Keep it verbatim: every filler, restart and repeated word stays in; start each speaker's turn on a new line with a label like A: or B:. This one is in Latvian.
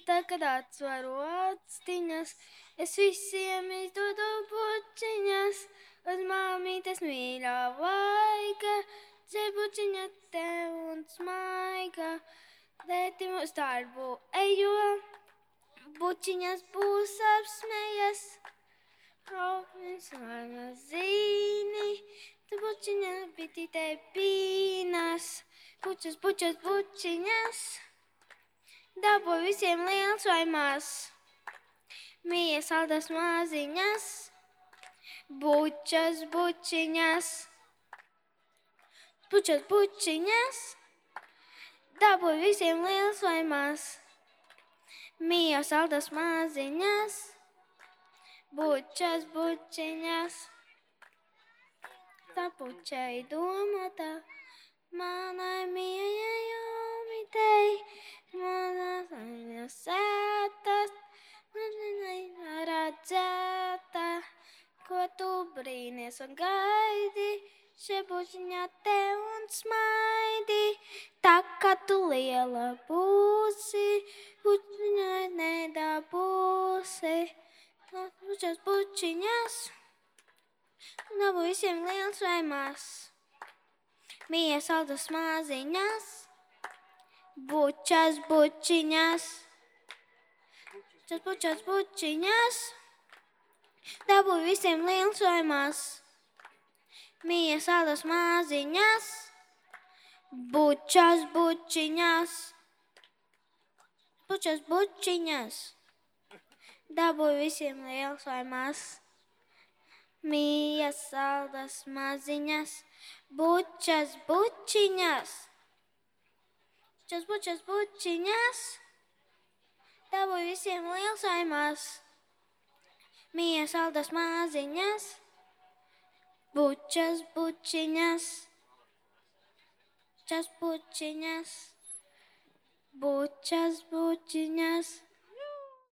A: tā, kad atsvaru actiņas, es visiem izdodu bučiņas, uz māmītes mīļā vaiga, dzebučiņa tev un smaiga, tēti mūs darbu ejo, bučiņas būs apsmējas, Robins mana zīni, tu bučiņa bitītē pīnas, bučas, bučas, bučiņas, dabū visiem liels vai maz, mīja saldas maziņas, bučas, bučiņas, bučas, bučiņas, dabū visiem liels vai maz, mīja saldas maziņas, bučas, bučiņas, tā pučai domāta, manai mījai jomitei, manas ainas sētas, manai redzēta, ko tu brīnies un gaidi, šie bučiņā tev un smaidi, tā kā tu liela būsi, bučiņai nedabūsi. Bučas, bučiņas, dabū visiem liels vai maz, mīja saldas maziņas, bučas, bučiņas, bučas, bučas, bučiņas, dabū visiem liels vai maz, mīja saldas maziņas, bučas, bučiņas, bučas, bučiņas. Dabū visiem liels vai maz, mīja saldas maziņas, bučas, bučiņas, bučas, bučas, bučiņas, dabū visiem liels vai maz, mīja saldas maziņas, bučas, bučiņas, bučas, bučiņas, bučas, bučiņas.